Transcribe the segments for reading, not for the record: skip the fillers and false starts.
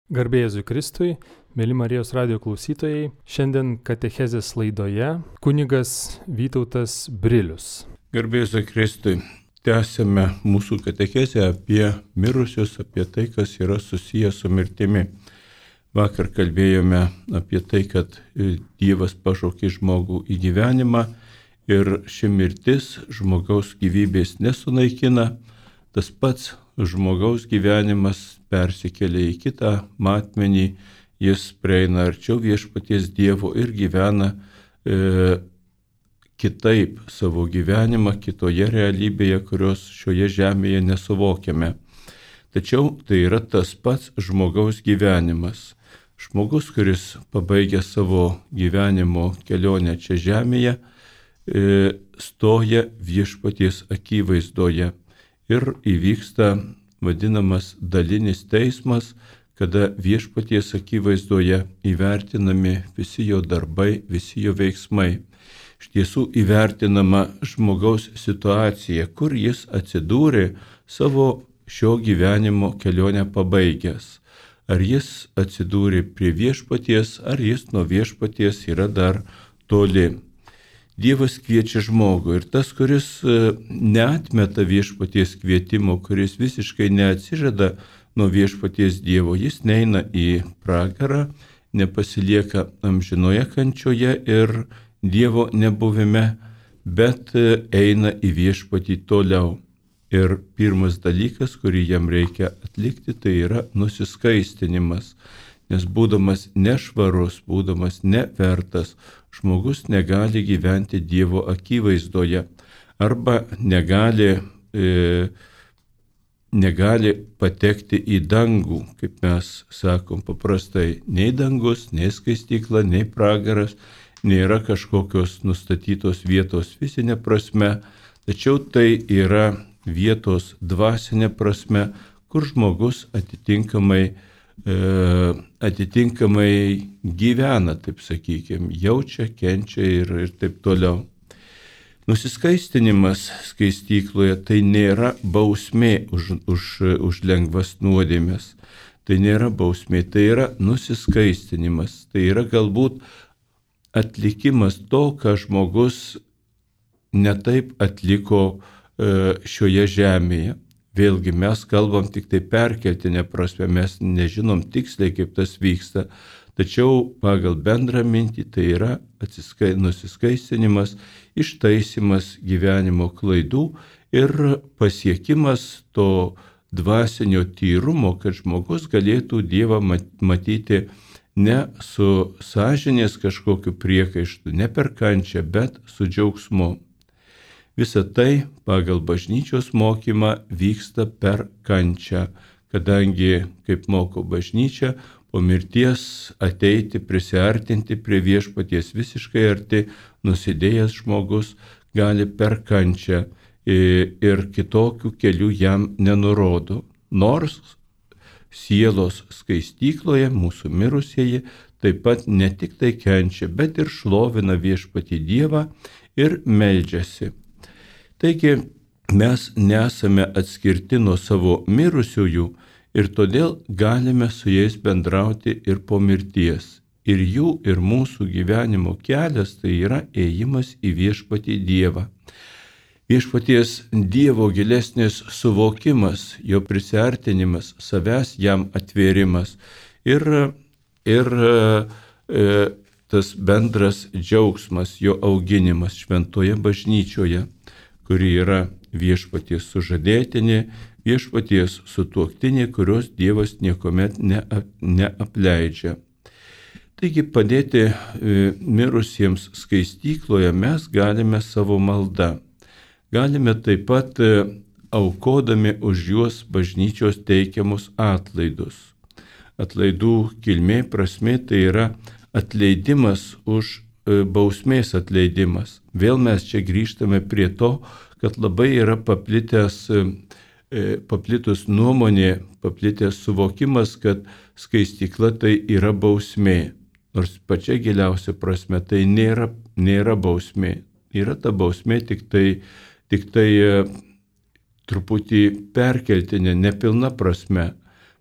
Garbė Jėzui Kristui, mėly Marijos radijo klausytojai, šiandien katechezės laidoje kunigas Vytautas Brilius. Garbė Jėzui Kristui, tęsėme mūsų katechezę apie mirusius, apie tai, kas yra susijęs su mirtimi. Vakar kalbėjome apie tai, kad Dievas pašaukė žmogų į gyvenimą ir ši mirtis žmogaus gyvybės nesunaikina, tas pats žmogaus gyvenimas persikelia į kitą matmenį, jis prieina arčiau viešpaties Dievo ir gyvena kitaip savo gyvenimą, kitoje realybėje, kurios šioje žemėje nesuvokiame. Tačiau tai yra tas pats žmogaus gyvenimas. Žmogus, kuris pabaigia savo gyvenimo kelionę čia žemėje, stoja viešpaties akivaizdoje. Ir įvyksta vadinamas dalinis teismas, kada viešpaties akivaizdoje įvertinami visi jo darbai, visi jo veiksmai. Iš tiesų įvertinama žmogaus situacija, kur jis atsidūrė savo šio gyvenimo kelionę pabaigęs. Ar jis atsidūrė prie viešpaties, ar jis nuo viešpaties yra dar toli. Dievas kviečia žmogų ir tas, kuris neatmeta viešpaties kvietimo, kuris visiškai neatsižada nuo viešpaties Dievo, jis neina į pragarą, nepasilieka amžinoje kančioje ir Dievo nebuvime, bet eina į viešpatį toliau. Ir pirmas dalykas, kurį jam reikia atlikti, tai yra nusiskaistinimas. Nes būdamas nešvarus, būdamas nevertas, žmogus negali gyventi Dievo akivaizdoje arba negali patekti į dangų, kaip mes sakom paprastai. Nei dangus, nei skaistykla, nei pragaras nėra kažkokios nustatytos vietos fizinė prasme, tačiau tai yra vietos dvasinė prasme, kur žmogus atitinkamai gyvena, taip sakykime, jaučia, kenčia ir taip toliau. Nusiskaistinimas skaistykloje tai nėra bausmė už lengvas nuodėmes. Tai nėra bausmė, tai yra nusiskaistinimas. Tai yra galbūt atlikimas to, ką žmogus netaip atliko šioje žemėje. Vėlgi mes kalbam tik tai perkeltinę prasme, mes nežinom tiksliai, kaip tas vyksta, tačiau pagal bendrą mintį tai yra nusiskaistinimas, ištaisimas gyvenimo klaidų ir pasiekimas to dvasinio tyrumo, kad žmogus galėtų Dievą matyti ne su sąžinės kažkokiu priekaištu, ne per kančią, bet su džiaugsmu. Visa tai pagal bažnyčios mokymą vyksta per kančią, kadangi, kaip moko bažnyčia, po mirties ateiti, prisiartinti prie viešpaties visiškai arti, nusidėjęs žmogus gali per kančią ir kitokių kelių jam nenurodo. Nors sielos skaistykloje mūsų mirusieji taip pat ne tik tai kenčia, bet ir šlovina viešpatį Dievą ir meldžiasi. Taigi mes nesame atskirti nuo savo mirusiųjų ir todėl galime su jais bendrauti ir po mirties. Ir jų, ir mūsų gyvenimo kelias tai yra ėjimas į viešpatį Dievą. Viešpaties Dievo gilesnis suvokimas, jo prisiartinimas, savęs jam atvėrimas ir tas bendras džiaugsmas, jo auginimas šventoje bažnyčioje, kuri yra viešpaties sužadėtinė, viešpaties sutuoktinė, kurios Dievas niekuomet neapleidžia. Taigi padėti mirusiems skaistykloje mes galime savo maldą. Galime taip pat aukodami už juos bažnyčios teikiamus atlaidus. Atlaidų kilmė prasmė tai yra atleidimas už bausmės atleidimas. Vėl mes čia grįžtame prie to, kad labai yra paplitus nuomonė, paplitęs suvokimas, kad skaistykla tai yra bausmė. Nors pačia giliausia prasme tai nėra bausmė. Yra ta bausmė tik tai truputį perkeltinė, nepilna prasme.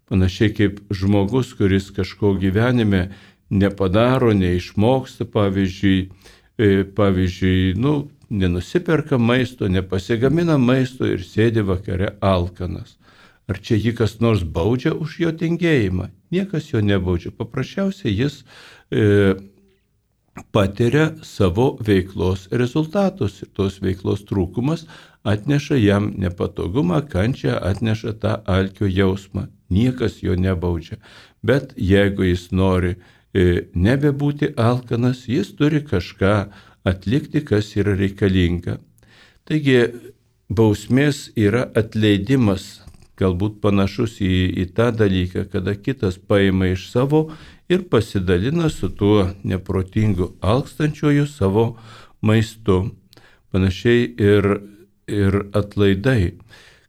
Panašiai kaip žmogus, kuris kažko gyvenime nepadaro, neišmoksta, pavyzdžiui, nenusiperka maisto, nepasigamina maisto ir sėdi vakare alkanas. Ar čia jį kas nors baudžia už jo tingėjimą? Niekas jo nebaudžia. Paprasčiausiai jis patiria savo veiklos rezultatus ir tos veiklos trūkumas atneša jam nepatogumą, kančią, atneša tą alkio jausmą. Niekas jo nebaudžia. Bet jeigu jis nori nebebūti alkanas, jis turi kažką atlikti, kas yra reikalinga. Taigi bausmės yra atleidimas, galbūt panašus į tą dalyką, kada kitas paima iš savo ir pasidalina su tuo neprotingu alkstančiuoju savo maistu. Panašiai ir atlaidai.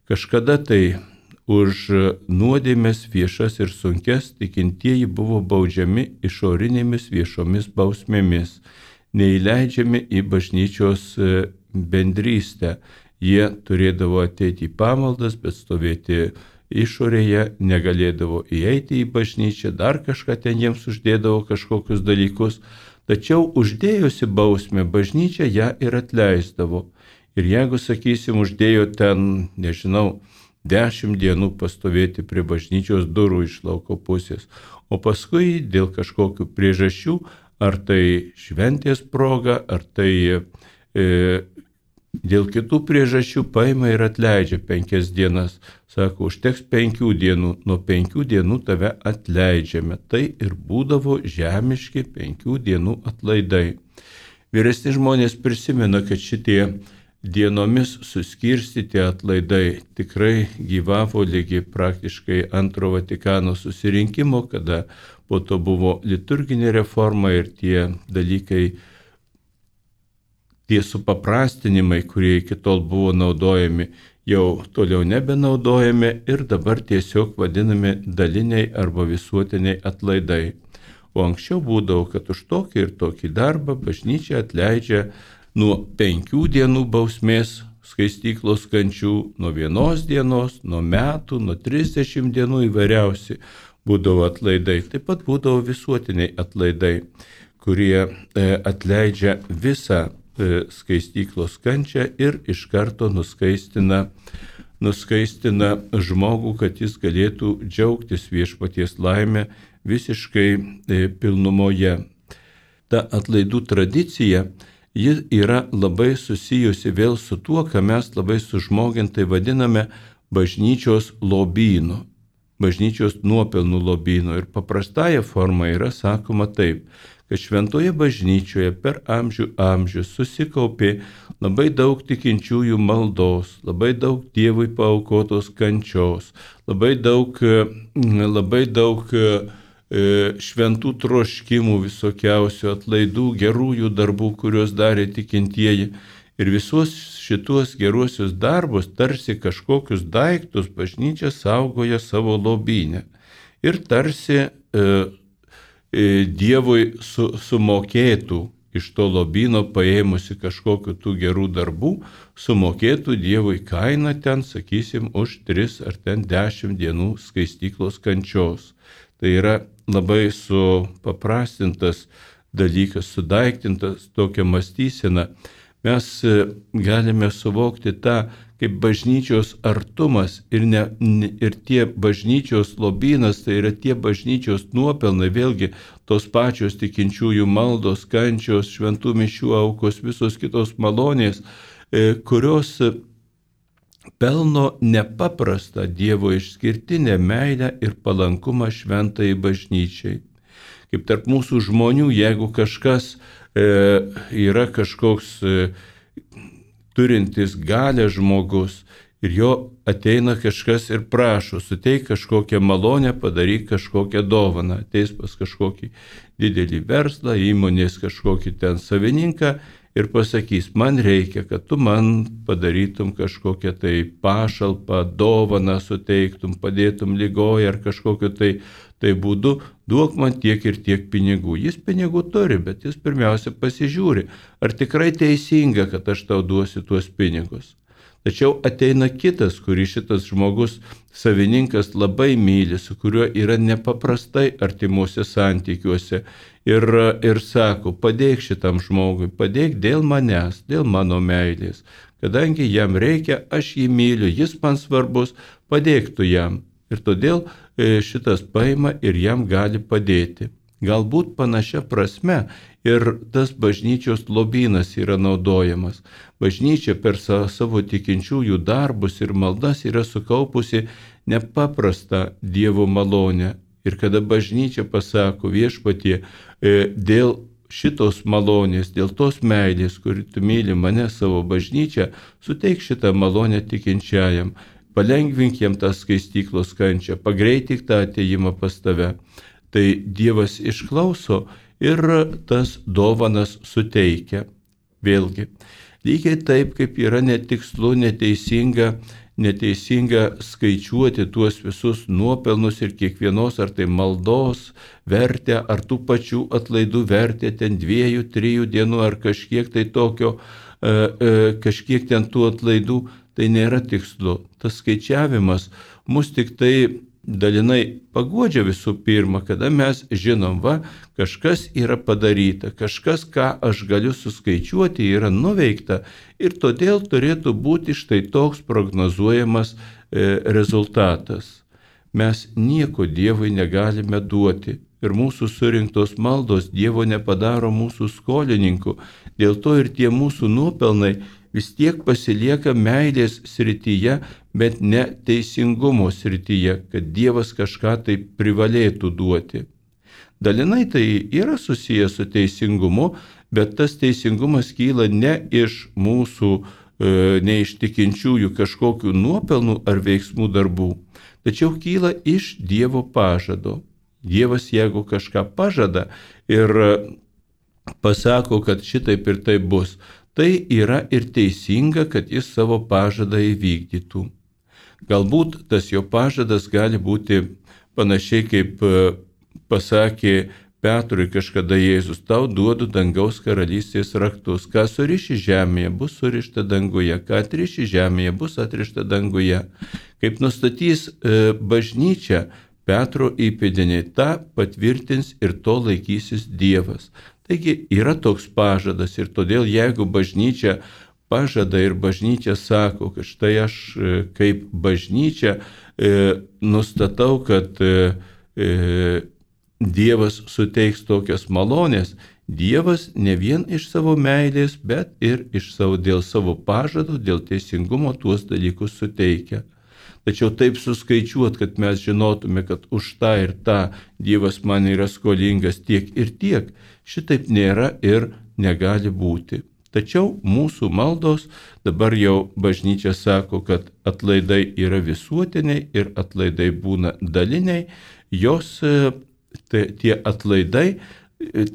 Kažkada tai už nuodėmes viešas ir sunkes tikintieji buvo baudžiami išorinėmis viešomis bausmėmis, neįleidžiami į bažnyčios bendrystę. Jie turėdavo ateiti į pamaldas, bet stovėti išorėje, negalėdavo įeiti į bažnyčią, dar kažką ten jiems uždėdavo kažkokius dalykus, tačiau uždėjusi bausmę bažnyčia ją ir atleisdavo. Ir jeigu, sakysim, uždėjo ten, 10 dienų pastovėti prie bažnyčios durų iš lauko pusės, o paskui dėl kažkokių priežasčių, ar tai šventės proga, ar tai dėl kitų priežasčių paima ir atleidžia 5 dienas. Sako, užteks 5 dienų, nuo 5 dienų tave atleidžiame. Tai ir būdavo žemiški 5 dienų atlaidai. Vyresni žmonės prisimena, kad šitie dienomis suskirstyti atlaidai tikrai gyvavo lygi praktiškai Antro Vatikano susirinkimo, kada po to buvo liturginė reforma ir tie dalykai, tie supaprastinimai, kurie iki tol buvo naudojami, jau toliau nebenaudojami ir dabar tiesiog vadinami daliniai arba visuotiniai atlaidai. O anksčiau būdavo, kad už tokį ir tokį darbą bažnyčia atleidžia nuo 5 dienų bausmės skaistyklos kančių, nuo 1 dienos, nuo metų, nuo 30 dienų įvairiausi būdavo atlaidai. Taip pat būdavo visuotiniai atlaidai, kurie atleidžia visą skaistyklos kančią ir iš karto nuskaistina žmogų, kad jis galėtų džiaugtis viešpaties laimę visiškai pilnumoje. Ta atlaidų tradicija, ji yra labai susijusi vėl su tuo, ką mes labai sužmogintai vadiname bažnyčios lobynu, bažnyčios nuopelnų lobynu. Ir paprastąją formą yra sakoma taip, kad šventoje bažnyčioje per amžius susikaupė labai daug tikinčiųjų maldos, labai daug Dievui paaukotos kančios, labai daug šventų troškimų visokiausių atlaidų, gerųjų darbų, kuriuos darė tikintieji. Ir visus šituos geruosius darbus, tarsi kažkokius daiktus, bažnyčia saugoja savo lobyne. Ir tarsi Dievui sumokėtų iš to lobyno, paėmusi kažkokiu tų gerų darbų, sumokėtų Dievui kainą ten, sakysim, už 3 ar ten 10 dienų skaistyklos kančios. Tai yra labai supaprastintas dalykas, sudaiktintas tokia mąstysena. Mes galime suvokti tą kaip bažnyčios artumas ir tie bažnyčios lobynas, tai yra tie bažnyčios nuopelnai, vėlgi tos pačios tikinčiųjų maldos, kančios, šventų mišių aukos, visos kitos malonės, kurios pelno nepaprastą Dievo išskirtinę meilę ir palankumą šventai bažnyčiai. Kaip tarp mūsų žmonių, jeigu kažkas yra kažkoks turintis galę žmogus ir jo ateina kažkas ir prašo, suteik kažkokią malonę, padaryk kažkokią dovaną, ateis pas kažkokį didelį verslą, įmonės kažkokį ten savininką ir pasakys, man reikia, kad tu man padarytum kažkokią tai pašalpą, dovaną suteiktum, padėtum ligoje ar kažkokiu tai būdu, duok man tiek ir tiek pinigų. Jis pinigų turi, bet jis pirmiausia pasižiūri, ar tikrai teisinga, kad aš tau duosiu tuos pinigus. Tačiau ateina kitas, kurį šitas žmogus, savininkas labai myli, su kuriuo yra nepaprastai artimuose santykiuose ir sako, padėk šitam žmogui, padėk dėl manęs, dėl mano meilės. Kadangi jam reikia, aš jį myliu, jis man svarbus, padėk tu jam. Ir todėl šitas paima ir jam gali padėti. Galbūt panašia prasme ir tas bažnyčios lobynas yra naudojamas. Bažnyčia per savo tikinčiųjų darbus ir maldas yra sukaupusi nepaprastą Dievo malonę. Ir kada bažnyčia pasako Viešpatie, dėl šitos malonės, dėl tos meilės, kuri tu myli mane savo bažnyčią, suteik šitą malonę tikinčiajam, palengvink jam tą skaistyklos kančią, pagreitik tą atėjimą pas tave. Tai Dievas išklauso ir tas dovanas suteikia. Vėlgi, lygiai taip, kaip yra netikslu, neteisinga skaičiuoti tuos visus nuopelnus ir kiekvienos ar tai maldos vertę, ar tų pačių atlaidų vertę, ten 2-3 dienų ar kažkiek tai tokio, kažkiek ten tų atlaidų, tai nėra tikslu. Tas skaičiavimas mus tik tai dalinai paguodžia visų pirma, kada mes žinom, kažkas yra padaryta, kažkas, ką aš galiu suskaičiuoti, yra nuveikta ir todėl turėtų būti štai toks prognozuojamas rezultatas. Mes nieko Dievui negalime duoti ir mūsų surinktos maldos Dievo nepadaro mūsų skolininku, dėl to ir tie mūsų nuopelnai vis tiek pasilieka meilės srityje, bet ne teisingumo srityje, kad Dievas kažką tai privalėtų duoti. Dalinai tai yra susijęs su teisingumu, bet tas teisingumas kyla ne iš mūsų, ne iš tikinčiųjų kažkokių nuopelnų ar veiksmų darbų, tačiau kyla iš Dievo pažado. Dievas, jeigu kažką pažada ir pasako, kad šitaip ir taip bus, tai yra ir teisinga, kad jis savo pažadą įvykdytų. Galbūt tas jo pažadas gali būti panašiai kaip pasakė Petrui kažkada Jėzus, tau duodu dangaus karalystės raktus, ką suriši žemėje, bus surišta danguje, ką atriši žemėje, bus atrišta danguje. Kaip nustatys bažnyčia, Petro įpėdiniai, tą patvirtins ir to laikysis Dievas. Taigi yra toks pažadas ir todėl jeigu bažnyčia pažada ir bažnyčia sako, kad štai aš kaip bažnyčia nustatau, kad Dievas suteiks tokias malonės, Dievas ne vien iš savo meilės, bet ir dėl savo pažado, dėl teisingumo tuos dalykus suteikia. Tačiau taip suskaičiuot, kad mes žinotume, kad už tą ir tą Dievas man yra skolingas tiek ir tiek, šitaip nėra ir negali būti. Tačiau mūsų maldos, dabar jau bažnyčia sako, kad atlaidai yra visuotiniai ir atlaidai būna daliniai, jos tie atlaidai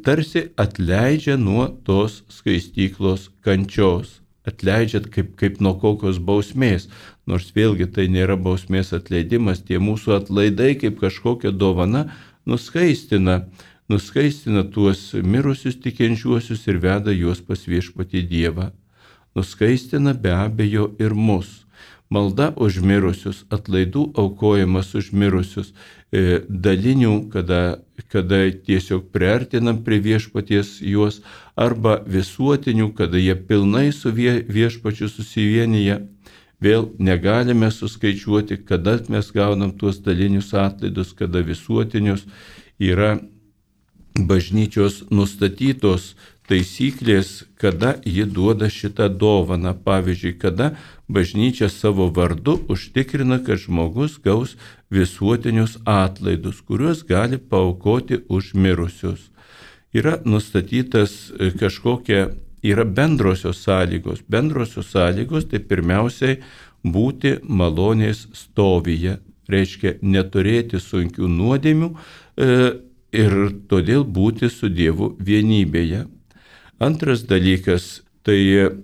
tarsi atleidžia nuo tos skaistyklos kančios. Atleidžiat kaip nuo kokios bausmės, nors vėlgi tai nėra bausmės atleidimas, tie mūsų atlaidai kaip kažkokia dovana nuskaistina tuos mirusius tikinčiuosius ir veda juos pas Viešpatį Dievą. Nuskaistina be abejo ir mus. Malda už mirusius, atlaidų aukojimas už mirusius, dalinių, kada tiesiog priartinam prie Viešpaties juos, arba visuotinių, kada jie pilnai su Viešpačiu susivienyje. Vėl negalime suskaičiuoti, kada mes gaunam tuos dalinius atlaidus, kada visuotinius. Yra bažnyčios nustatytos taisyklės, kada ji duoda šitą dovaną. Pavyzdžiui, kada bažnyčia savo vardu užtikrina, kad žmogus gaus visuotinius atlaidus, kuriuos gali paaukoti už mirusius. Yra nustatytas yra bendrosios sąlygos. Bendrosios sąlygos tai pirmiausiai būti malonės stovyje, reiškia neturėti sunkių nuodėmių ir todėl būti su Dievu vienybėje. Antras dalykas tai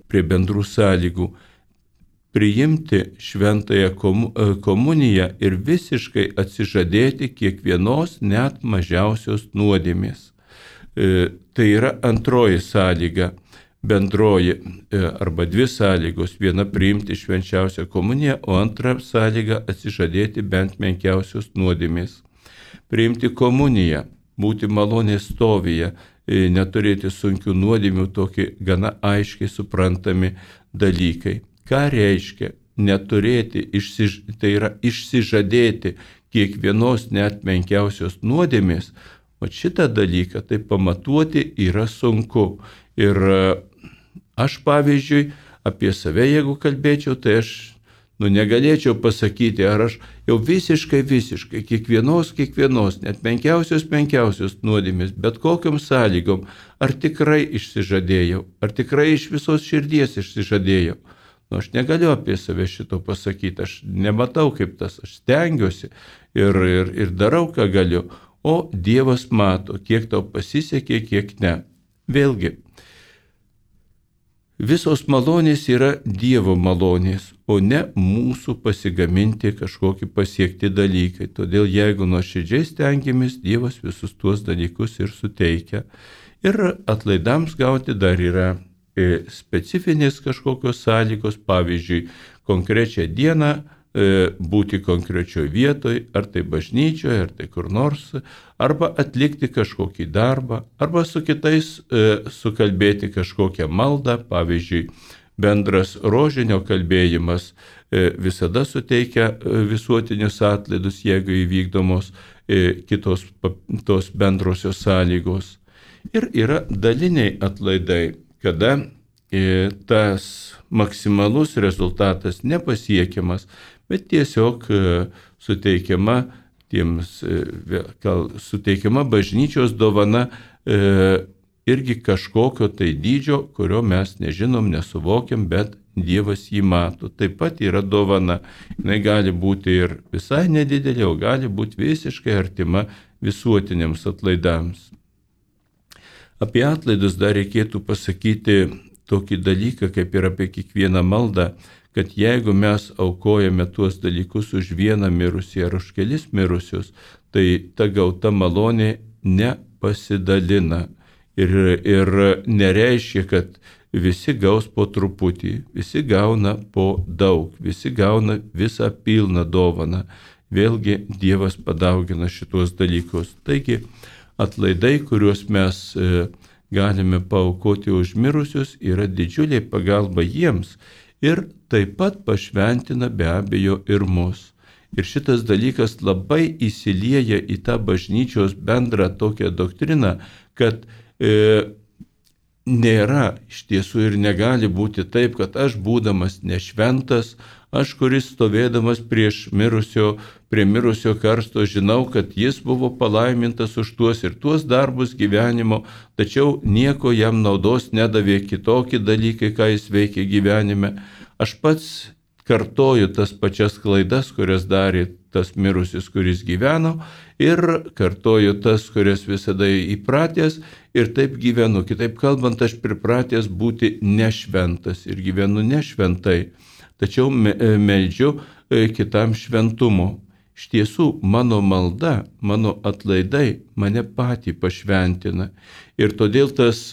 prie bendrų sąlygų priimti šventąją komuniją ir visiškai atsižadėti kiekvienos net mažiausios nuodėmės. Tai yra antroji sąlyga. bendroji arba dvi sąlygos. Viena priimti švenčiausią komuniją, o antra sąlyga atsižadėti bent menkiausios nuodėmės. Priimti komuniją, būti malonės stovyje, neturėti sunkių nuodėmių, tokie gana aiškiai suprantami dalykai. Ką reiškia neturėti, tai yra išsižadėti kiekvienos net menkiausios nuodėmės? O šitą dalyką tai pamatuoti yra sunku. Ir aš, pavyzdžiui, apie save, jeigu kalbėčiau, tai aš negalėčiau pasakyti, ar aš jau visiškai, kiekvienos, net menkiausios nuodėmės, bet kokiom sąlygom, ar tikrai išsižadėjau, ar tikrai iš visos širdies išsižadėjau. Aš negaliu apie save šito pasakyti, aš nematau kaip tas, aš stengiuosi ir darau, ką galiu, o Dievas mato, kiek tau pasisekė, kiek ne. Vėlgi, visos malonės yra Dievo malonės, o ne mūsų pasigaminti kažkokį pasiekti dalykai. Todėl jeigu nuoširdžiai stengiamės, Dievas visus tuos dalykus ir suteikia. Ir atlaidams gauti dar yra specifinės kažkokios sąlygos, pavyzdžiui, konkrečią dieną būti konkrečioje vietoje, ar tai bažnyčioje, ar tai kur nors, arba atlikti kažkokį darbą, arba su kitais sukalbėti kažkokią maldą, pavyzdžiui, bendras rožinio kalbėjimas visada suteikia visuotinius atlaidus, jeigu įvykdomos kitos tos bendrosios sąlygos. Ir yra daliniai atlaidai, kada tas maksimalus rezultatas nepasiekiamas, bet tiesiog suteikiama bažnyčios dovana irgi kažkokio tai dydžio, kurio mes nežinom, nesuvokiam, bet Dievas jį mato. Taip pat yra dovana. Jis gali būti ir visai nedidelė, o gali būti visiškai artima visuotiniams atlaidams. Apie atlaidus dar reikėtų pasakyti tokį dalyką, kaip ir apie kiekvieną maldą, kad jeigu mes aukojame tuos dalykus už vieną mirusį ar už kelis mirusius, tai ta gauta malonė nepasidalina. Ir nereiškia, kad visi gaus po truputį, visi gauna po daug, visi gauna visą pilną dovaną. Vėlgi Dievas padaugina šitos dalykus. Taigi atlaidai, kuriuos mes galime paaukoti už mirusius, yra didžiulė pagalba jiems ir taip pat pašventina be abejo ir mus. Ir šitas dalykas labai įsilieja į tą bažnyčios bendrą tokią doktriną, kad nėra iš tiesų ir negali būti taip, kad aš būdamas nešventas, aš, kuris stovėdamas prie mirusio karsto, žinau, kad jis buvo palaimintas už tuos ir tuos darbus gyvenimo, tačiau nieko jam naudos nedavė kitokie dalykai, ką jis veikė gyvenime. Aš pats kartoju tas pačias klaidas, kurias darė tas mirusis, kuris gyveno, ir kartoju tas, kurias visada įpratęs, ir taip gyvenu. Kitaip kalbant, aš pripratęs būti nešventas ir gyvenu nešventai. Tačiau meldžiu kitam šventumo. Iš tiesų, mano malda, mano atlaidai mane patį pašventina. Ir todėl tas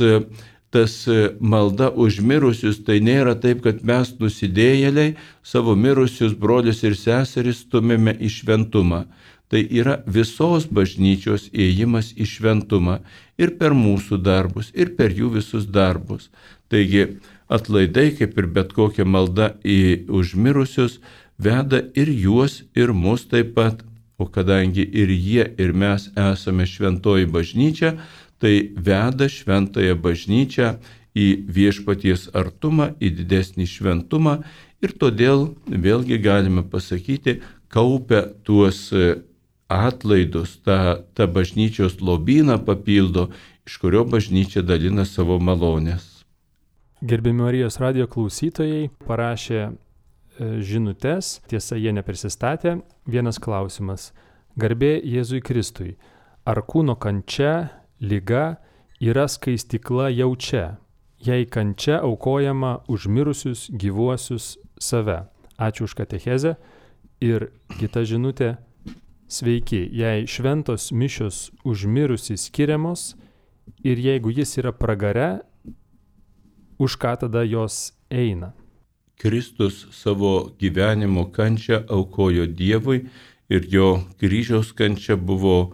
malda už mirusius, tai nėra taip, kad mes nusidėjėliai savo mirusius brolius ir seseris stumėme į šventumą. Tai yra visos bažnyčios ėjimas į šventumą ir per mūsų darbus, ir per jų visus darbus. Taigi atlaidai, kaip ir bet kokia malda už mirusius, veda ir juos, ir mus taip pat. O kadangi ir jie, ir mes esame šventoji bažnyčia, tai veda šventąją bažnyčią į viešpaties artumą, į didesnį šventumą, ir todėl vėlgi galime pasakyti, kaupia tuos atlaidus, tą bažnyčios lobyną papildo, iš kurio bažnyčia dalina savo malonės. Gerbiami Marijos radijo klausytojai parašė žinutes, tiesa jie neprisistatė. Vienas klausimas. Garbė Jėzui Kristui. Ar kūno kančia, liga yra skaistykla jau čia, jei kančia aukojama už mirusius gyvuosius save? Ačiū už katechezę. Ir kita žinutė. Sveiki, jei šventos mišios už mirusį skiriamos ir jeigu jis yra pragare, už ką tada jos eina? Kristus savo gyvenimo kančią aukojo Dievui ir jo kryžiaus kančia buvo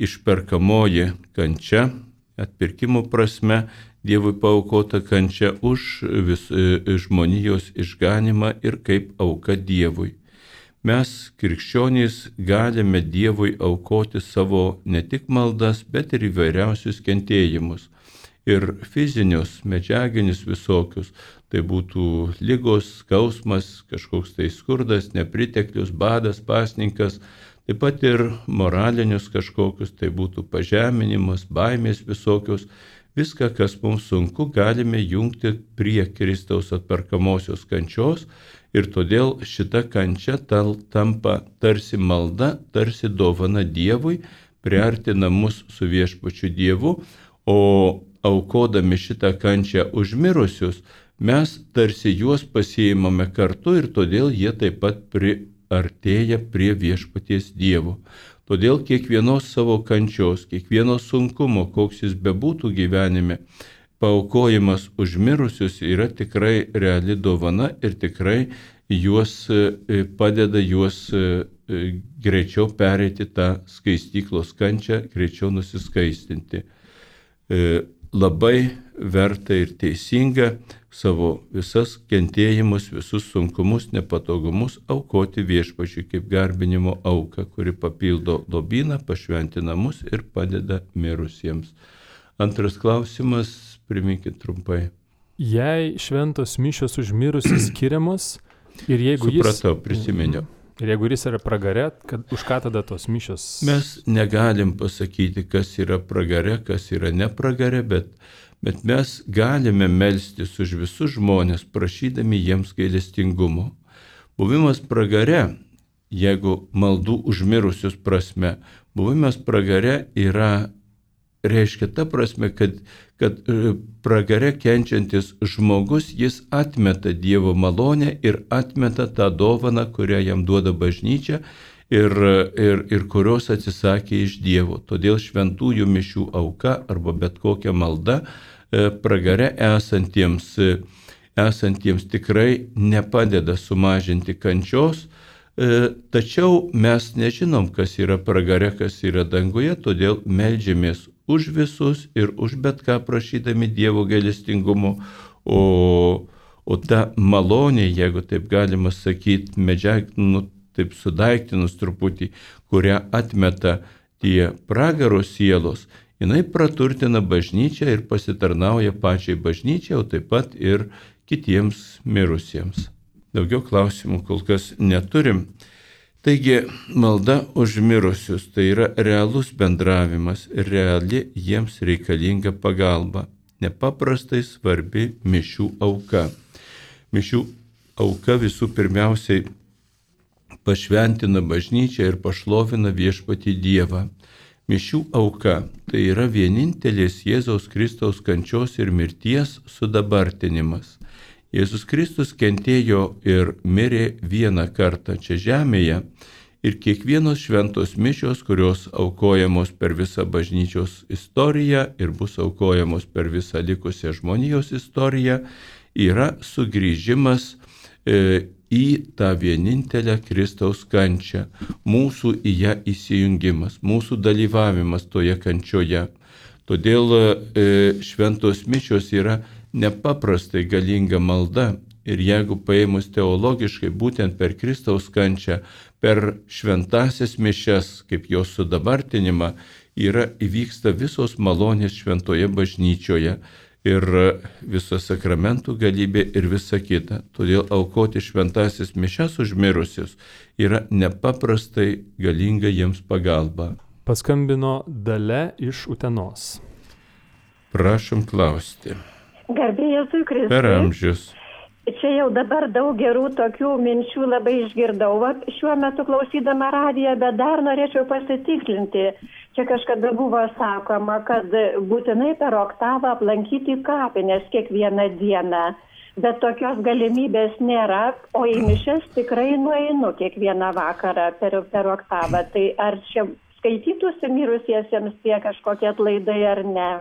išperkamoji kančia, atpirkimo prasme Dievui paaukota kančia už žmonijos išganimą ir kaip auka Dievui. Mes, krikščionys, galime Dievui aukoti savo ne tik maldas, bet ir įvairiausius kentėjimus. Ir fizinius, medžiaginius visokius, tai būtų ligos, skausmas, kažkoks tai skurdas, nepriteklius, badas, pasninkas, taip pat ir moralinius kažkokius, tai būtų pažeminimas, baimės visokius. Viską, kas mums sunku, galime jungti prie Kristaus atperkamosios kančios ir todėl šita kančia tampa tarsi malda, tarsi dovana Dievui, priartina mus su viešpačiu Dievu, o aukodami šitą kančią už mirusius, mes tarsi juos pasiimame kartu ir todėl jie taip pat priartėja prie viešpaties Dievo. Todėl kiekvienos savo kančios, kiekvieno sunkumo, koks jis bebūtų gyvenime, paaukojimas už mirusius yra tikrai reali dovana ir tikrai juos padeda juos greičiau pereiti tą skaistyklos kančią, greičiau nusiskaistinti. Labai verta ir teisinga savo visas kentėjimus, visus sunkumus, nepatogumus aukoti viešpačiui kaip garbinimo auką, kuri papildo lobyną, pašventina mus ir padeda mirusiems. Antras klausimas, priminkit trumpai. Jei šventos mišios už mirusius skiriamos ir jeigu Supratau, prisiminiau. Ir jeigu jis yra pragare, už ką tada tos mišios? Mes negalim pasakyti, kas yra pragare, kas yra nepragare, bet mes galime melstis už visus žmonės, prašydami jiems gailestingumo. Buvimas pragare, jeigu maldų užmirusius prasme, buvimas pragare reiškia ta prasme, kad pragare kenčiantis žmogus, jis atmeta Dievo malonę ir atmeta tą dovaną, kurią jam duoda bažnyčia ir kurios atsisakė iš Dievo. Todėl šventųjų mišių auka arba bet kokia malda pragare esantiems tikrai nepadeda sumažinti kančios, tačiau mes nežinom, kas yra pragare, kas yra danguje, todėl meldžiamės už visus ir už bet ką prašydami Dievo gailestingumo, o ta malonė, jeigu taip galima sakyti, taip sudaiktinus truputį, kurią atmeta tie pragaro sielos, jinai praturtina bažnyčią ir pasitarnauja pačiai bažnyčiai, o taip pat ir kitiems mirusiems. Daugiau klausimų kol kas neturim. Taigi, malda už mirusius tai yra realus bendravimas ir reali jiems reikalinga pagalba. Nepaprastai svarbi mišių auka. Mišių auka visų pirmiausiai pašventina bažnyčią ir pašlovina viešpatį Dievą. Mišių auka tai yra vienintelės Jėzaus Kristaus kančios ir mirties sudabartinimas. Jėzus Kristus kentėjo ir mirė vieną kartą čia žemėje ir kiekvienos šventos mišios, kurios aukojamos per visą bažnyčios istoriją ir bus aukojamos per visą likusią žmonijos istoriją, yra sugrįžimas į tą vienintelę Kristaus kančią, mūsų į ją įsijungimas, mūsų dalyvavimas toje kančioje. Todėl šventos mišios yra nepaprastai galinga malda ir jeigu paėmus teologiškai būtent per Kristaus kančią, per šventasias mišias, kaip jos sudabartinimą, įvyksta visos malonės šventoje bažnyčioje ir visa sakramentų galybė ir visa kita. Todėl aukoti šventasias mišias už mirusius yra nepaprastai galinga jiems pagalba. Paskambino Dalia iš Utenos. Prašom klausti. Garbė Jėzui Kristui. Per amžius. Čia jau dabar daug gerų tokių minčių labai išgirdau. Šiuo metu klausydama radiją, bet dar norėčiau pasitikslinti. Čia kažkada buvo sakoma, kad būtinai per oktavą aplankyti kapines kiekvieną dieną. Bet tokios galimybės nėra, o į mišias tikrai nueinu kiekvieną vakarą per oktavą. Tai ar čia skaitytųsi mirusiesiems tie kažkokie atlaidai ar ne?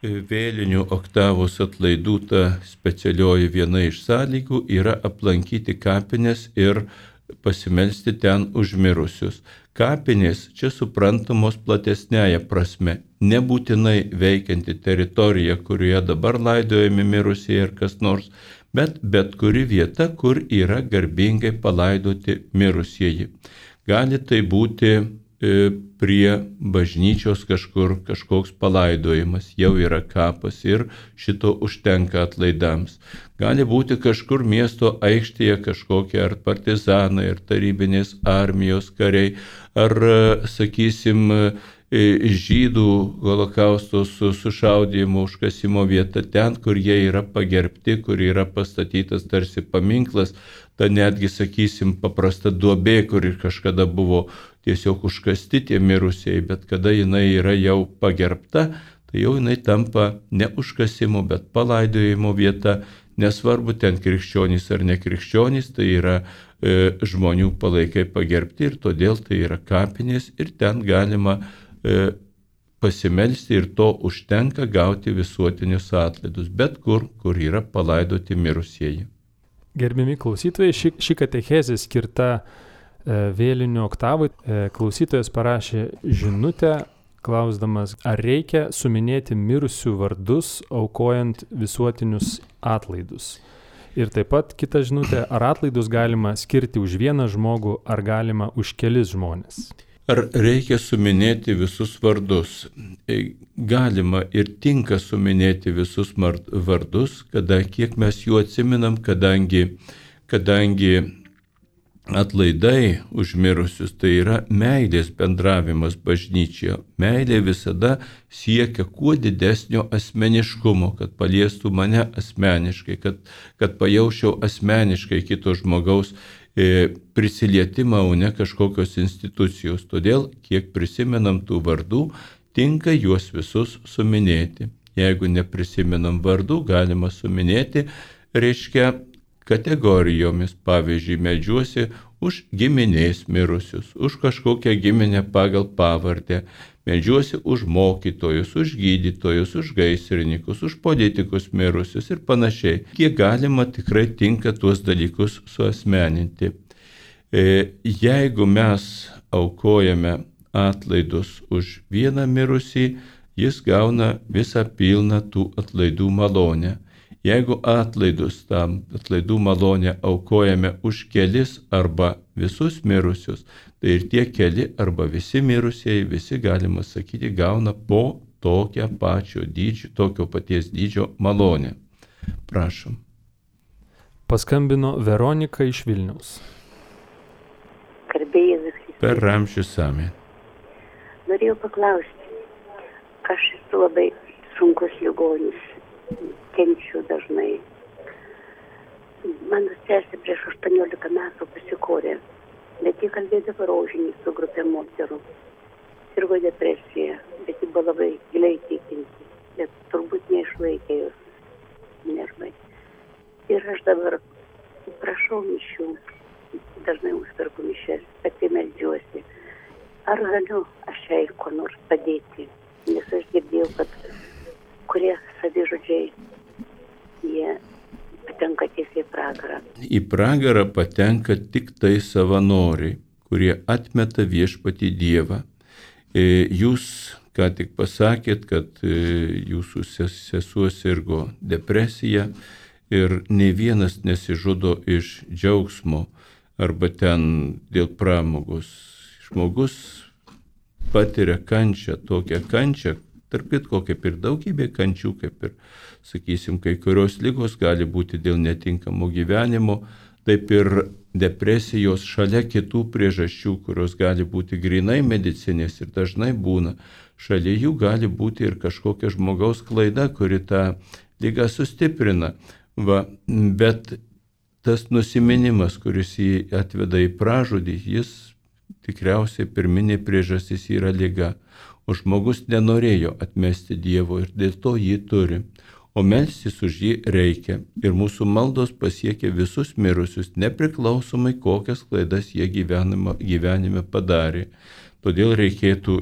vėlinių oktavos atlaidų ta specialioji viena iš sąlygų yra aplankyti kapines ir pasimelsti ten už mirusius. Kapinės čia suprantamos platesnėje prasme, nebūtinai veikianti teritorija, kurioje dabar laidojami mirusieji ar kas nors, bet kuri vieta, kur yra garbingai palaidoti mirusieji. Gali tai būti prie bažnyčios kažkoks palaidojimas, jau yra kapas ir šito užtenka atlaidams. Gali būti kažkur miesto aikštėje kažkokie ar partizanai, ar tarybinės armijos kariai, ar, sakysim, žydų holokausto sušaudymo užkasimo vieta, ten, kur jie yra pagerbti, kur yra pastatytas tarsi paminklas, ta netgi, sakysim, paprasta duobė, kur kažkada buvo tiesiog užkasti tie mirusieji, bet kada jinai yra jau pagerbta, tai jau jinai tampa ne užkasimo, bet palaidojimo vieta, nesvarbu ten krikščionys ar nekrikščionys, tai yra žmonių palaikai pagerbti ir todėl tai yra kapinės ir ten galima pasimelsti ir to užtenka gauti visuotinius atlaidus, bet kur yra palaidoti mirusieji. Gerbiami klausytojai, ši katechezė skirta vėlinių oktavui. Klausytojas parašė žinutę, klausdamas, ar reikia suminėti mirusių vardus, aukojant visuotinius atlaidus. Ir taip pat kita žinutė, ar atlaidus galima skirti už vieną žmogų, ar galima už kelis žmonės. Ar reikia suminėti visus vardus? Galima ir tinka suminėti visus vardus, kiek mes jų atsiminam, kadangi atlaidai už mirusius tai yra meilės bendravimas bažnyčioje. Meilė visada siekia kuo didesnio asmeniškumo, kad paliestų mane asmeniškai, kad pajaučiau asmeniškai kito žmogaus prisilietimą, o ne kažkokios institucijos. Todėl, kiek prisimenam tų vardų, tinka juos visus suminėti. Jeigu neprisimenam vardų, galima suminėti, reiškia, kategorijomis, pavyzdžiui, meldžiuosi už giminės mirusius, už kažkokią giminę pagal pavardę, meldžiuosi už mokytojus, už gydytojus, už gaisrininkus, už politikus mirusius ir panašiai. Kiek galima tikrai tinka tuos dalykus suasmeninti. Jeigu mes aukojame atlaidus už vieną mirusį, jis gauna visą pilną tų atlaidų malonę. Jeigu atlaidų malonę aukojame už kelis arba visus mirusius, tai ir tie keli arba visi mirusieji, visi galima sakyti, gauna po tokio paties dydžio malonę. Prašom. Paskambino Veronika iš Vilniaus. Per amžius amen. Norėjau paklausti, aš esu labai sunkus ligonis. Kenčiu dažnai. Mano sesė prieš 18 metų pasikorė, bet ji kalbėdavo rožinį su grupė moterų. Sirgo depresija, bet ji buvo labai giliai tikinti, bet turbūt neišlaikė jos nervai. Ir aš dabar prašau mišių, dažnai užperku mišes, pati meldžiuosi. Ar galiu aš jai ko nors padėti? Nes aš girdėjau, kad kurie savižudžiai, jie patenka tiesiai į pragarą. Į pragarą patenka tik tai savanoriai, kurie atmeta viešpatį Dievą. Jūs ką tik pasakėt, kad jūsų sesuo sirgo depresija ir nei vienas nesižudo iš džiaugsmo arba ten dėl pramogos. Žmogus patiria kančią, tokią kančią, tarp kitko, kaip ir daugybė kančių, kaip ir, sakysim, kai kurios ligos gali būti dėl netinkamo gyvenimo, taip ir depresijos šalia kitų priežasčių, kurios gali būti grinai medicinės ir dažnai būna. Šalia jų gali būti ir kažkokia žmogaus klaida, kuri tą ligą sustiprina. Bet tas nusiminimas, kuris jį atveda į pražūdį, jis tikriausiai pirminė priežastis yra liga. O žmogus nenorėjo atmesti Dievo ir dėl to jį turi. O melstis už jį reikia. Ir mūsų maldos pasiekia visus mirusius, nepriklausomai kokias klaidas jie gyvenime padarė. Todėl reikėtų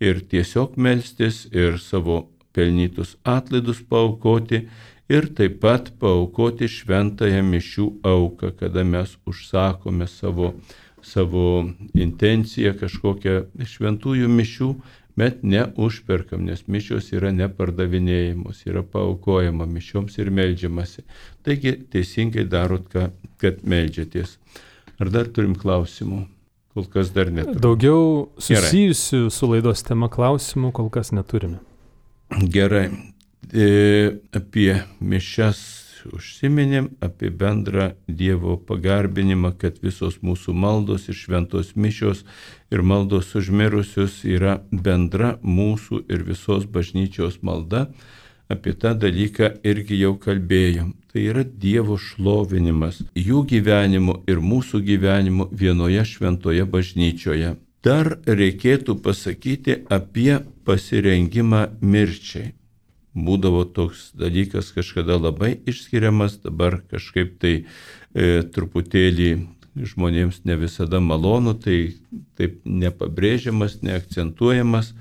ir tiesiog melstis, ir savo pelnytus atlaidus paaukoti ir taip pat paaukoti šventąją mišių auką, kada mes užsakome savo intenciją kažkokią šventųjų mišių, bet neužperkam, nes mišios yra nepardavinėjamos, yra paaukojama mišioms ir meldžiamasi. Taigi teisingai darot, kad meldžiatės. Ar dar turim klausimų? Kol kas dar neturime. Daugiau susijusių su laidos tema klausimų kol kas neturime. Gerai. Apie mišias užsiminėm, apie bendrą Dievo pagarbinimą, kad visos mūsų maldos ir šventos mišios ir maldos už mirusius yra bendra mūsų ir visos bažnyčios malda. Apie tą dalyką irgi jau kalbėjom. Tai yra Dievo šlovinimas jų gyvenimu ir mūsų gyvenimu vienoje šventoje bažnyčioje. Dar reikėtų pasakyti apie pasirengimą mirčiai. Būdavo toks dalykas kažkada labai išskiriamas, dabar kažkaip tai truputėlį žmonėms ne visada malonu, tai taip nepabrėžiamas, neakcentuojamas.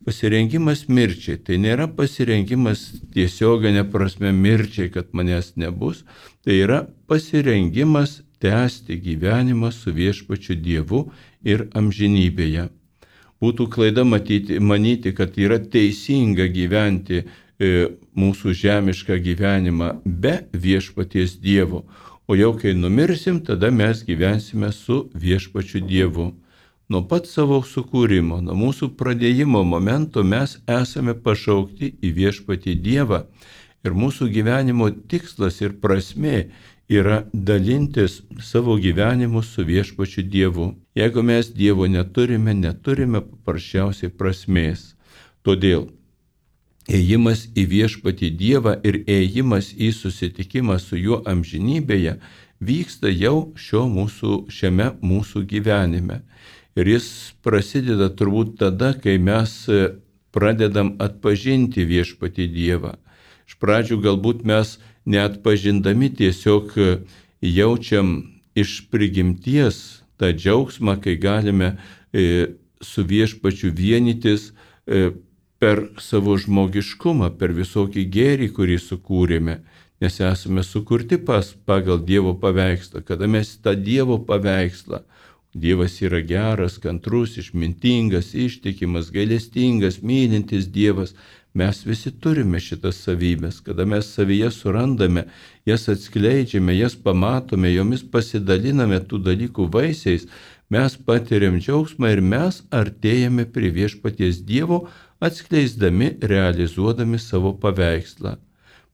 Pasirengimas mirčiai, tai nėra pasirengimas tiesioginė prasme mirčiai, kad manęs nebus, tai yra pasirengimas tęsti gyvenimą su viešpačiu Dievu ir amžinybėje. Būtų klaida manyti, kad yra teisinga gyventi mūsų žemišką gyvenimą be viešpaties Dievo, o jau kai numirsim, tada mes gyvensime su viešpačiu Dievu. Nuo pat savo sukūrimo, nuo mūsų pradėjimo momento mes esame pašaukti į viešpatį Dievą ir mūsų gyvenimo tikslas ir prasmė yra dalintis savo gyvenimu su viešpačiu Dievu. Jeigu mes Dievo neturime paprasčiausiai prasmės. Todėl ėjimas į viešpatį Dievą ir ėjimas į susitikimą su juo amžinybėje vyksta jau šiame mūsų gyvenime. Ir jis prasideda turbūt tada, kai mes pradedam atpažinti viešpatį Dievą. Iš pradžių galbūt mes neatpažindami tiesiog jaučiam iš prigimties tą džiaugsmą, kai galime su viešpačiu vienytis per savo žmogiškumą, per visokį gėrį, kurį sukūrėme, nes esame sukurti pagal Dievo paveikslą. Kada mes tą Dievo paveikslą, Dievas yra geras, kantrus, išmintingas, ištikimas, gailestingas, mylintis Dievas, mes visi turime šitas savybės. Kada mes savyje surandame, jas atskleidžiame, jas pamatome, jomis pasidaliname tų dalykų vaisiais, mes patiriam džiaugsmą ir mes artėjame prie viešpaties Dievo, atskleisdami, realizuodami savo paveikslą.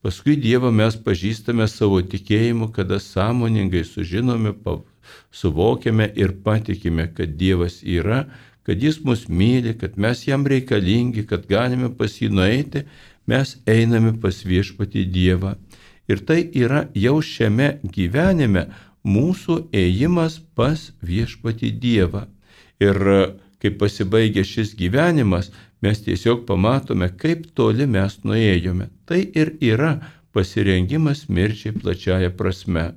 Paskui Dievą mes pažįstame savo tikėjimu, kada sąmoningai sužinome, suvokiame ir patikime, kad Dievas yra, kad Jis mus myli, kad mes jam reikalingi, kad galime pas jį nueiti, mes einame pas viešpatį Dievą. Ir tai yra jau šiame gyvenime mūsų ėjimas pas viešpatį Dievą. Ir kai pasibaigia šis gyvenimas, mes tiesiog pamatome, kaip toli mes nuėjome. Tai ir yra pasirengimas mirčiai plačiaja prasme,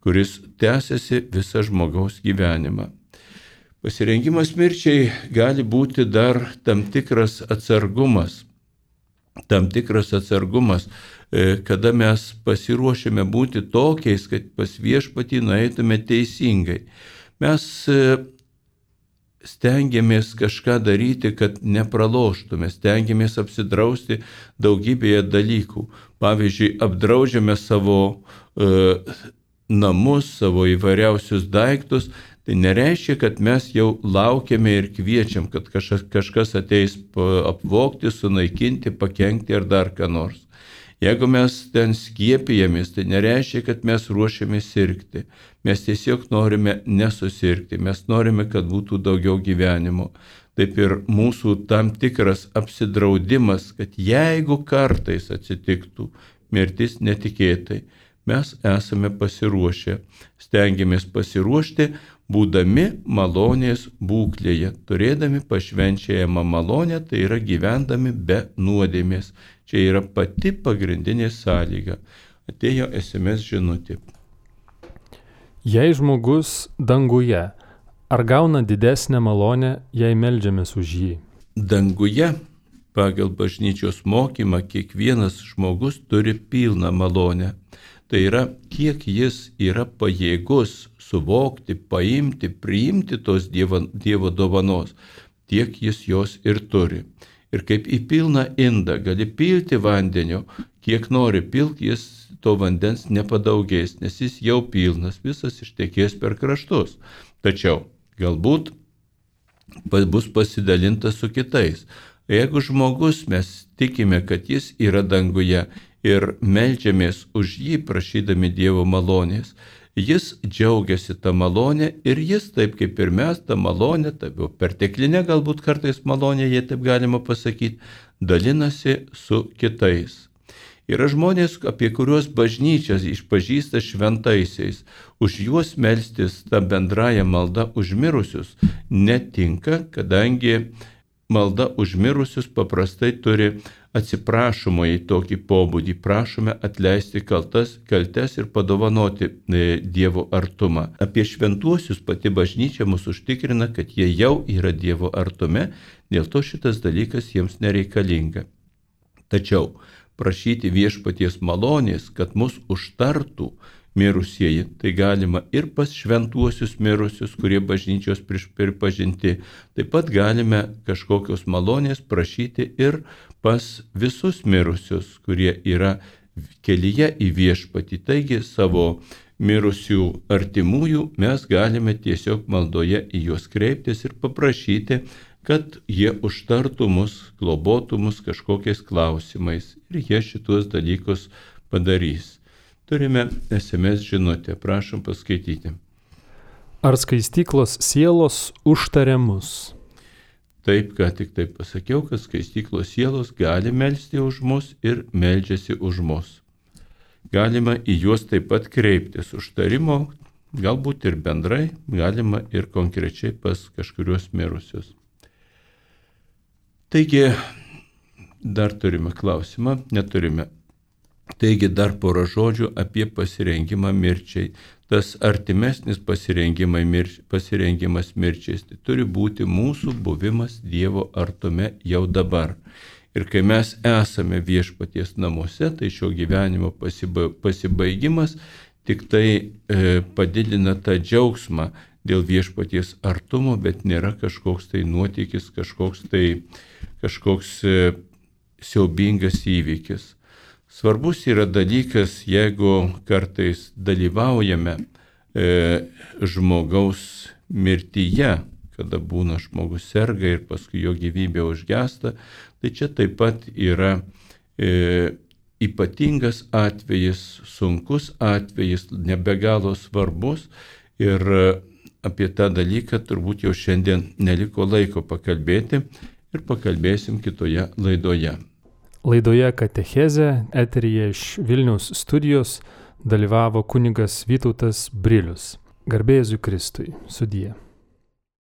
kuris tęsiasi visą žmogaus gyvenimą. Pasirengimas mirčiai gali būti dar tam tikras atsargumas, kada mes pasiruošime būti tokiais, kad pas viešpatį nueitume teisingai. Mes stengiamės kažką daryti, kad nepraloštume, stengiamės apsidrausti daugybėje dalykų. Pavyzdžiui, apdraudžiame savo namus, savo įvairiausius daiktus. Tai nereiškia, kad mes jau laukiame ir kviečiam, kad kažkas ateis apvogti, sunaikinti, pakenkti ar dar ką nors. Jeigu mes ten skiepijamės, tai nereiškia, kad mes ruošiame sirgti. Mes tiesiog norime nesusirgti, mes norime, kad būtų daugiau gyvenimo. Taip ir mūsų tam tikras apsidraudimas, kad jeigu kartais atsitiktų mirtis netikėtai, mes esame pasiruošę, stengiamės pasiruošti, būdami malonės būklėje, turėdami pašvenčiajamą malonę, tai yra gyvendami be nuodėmės. Čia yra pati pagrindinė sąlyga. Atėjo SMS žinutė. Jei žmogus danguje, ar gauna didesnę malonę, jei meldžiamės už jį? Danguje pagal bažnyčios mokymą kiekvienas žmogus turi pilną malonę. Tai yra, kiek jis yra pajėgus suvokti, paimti, priimti tos Dievo dovanos, tiek jis jos ir turi. Ir kaip į pilną indą gali pilti vandenio, kiek nori pilk, jis to vandens nepadaugės, nes jis jau pilnas, visas ištekės per kraštus. Tačiau galbūt bus pasidalinta su kitais. Jeigu žmogus mes tikime, kad jis yra danguje ir meldžiamės už jį prašydami Dievo malonės, jis džiaugiasi tą malonę ir jis, taip kaip ir mes, tą malonę, taip jau perteklinę galbūt kartais malonę, jei taip galima pasakyti, dalinasi su kitais. Yra žmonės, apie kuriuos bažnyčias išpažįsta šventaisiais, už juos melstis tą bendrąją maldą už mirusius netinka, kadangi malda už mirusius paprastai turi atsiprašomąjį tokį pobūdį, prašome atleisti kaltes ir padovanoti Dievo artumą. Apie šventuosius pati bažnyčia mus užtikrina, kad jie jau yra Dievo artume, dėl to šitas dalykas jiems nereikalinga. Tačiau prašyti viešpaties malonės, kad mus užtartų mirusieji, tai galima ir pas šventuosius mirusius, kurie bažnyčios pripažinti. Taip pat galime kažkokios malonės prašyti ir pas visus mirusius, kurie yra kelyje į viešpatį. Taigi savo mirusių artimųjų mes galime tiesiog maldoje į juos kreiptis ir paprašyti, kad jie užtartų mus, globotų mus kažkokiais klausimais. Ir jie šitos dalykus padarys. Turime SMS žinutę, prašom paskaityti. Ar skaistyklos sielos užtaria mus? Taip, ką tik taip pasakiau, kad skaistyklos sielos gali melsti už mus ir meldžiasi už mus. Galima į juos taip pat kreiptis užtarimo, galbūt ir bendrai, galima ir konkrečiai pas kažkurios mirusius. Taigi, dar turime klausimą, neturime. Taigi dar porą žodžių apie pasirengimą mirčiai. Tas artimesnis pasirengimas mirčiais, tai turi būti mūsų buvimas Dievo artume jau dabar. Ir kai mes esame viešpaties namuose, tai šio gyvenimo pasibaigimas tik tai padidina tą džiaugsmą dėl viešpaties artumo, bet nėra kažkoks tai nuotykis, kažkoks siaubingas įvykis. Svarbus yra dalykas, jeigu kartais dalyvaujame žmogaus mirtyje, kada būna žmogus serga ir paskui jo gyvybė užgesta, tai čia taip pat yra ypatingas atvejis, sunkus atvejis, nebegalo svarbus ir apie tą dalyką turbūt jau šiandien neliko laiko pakalbėti ir pakalbėsim kitoje laidoje. Laidoje Katechezė eteryje iš Vilniaus studijos dalyvavo kunigas Vytautas Brilius. Garbė Jėzui Kristui. Sudie.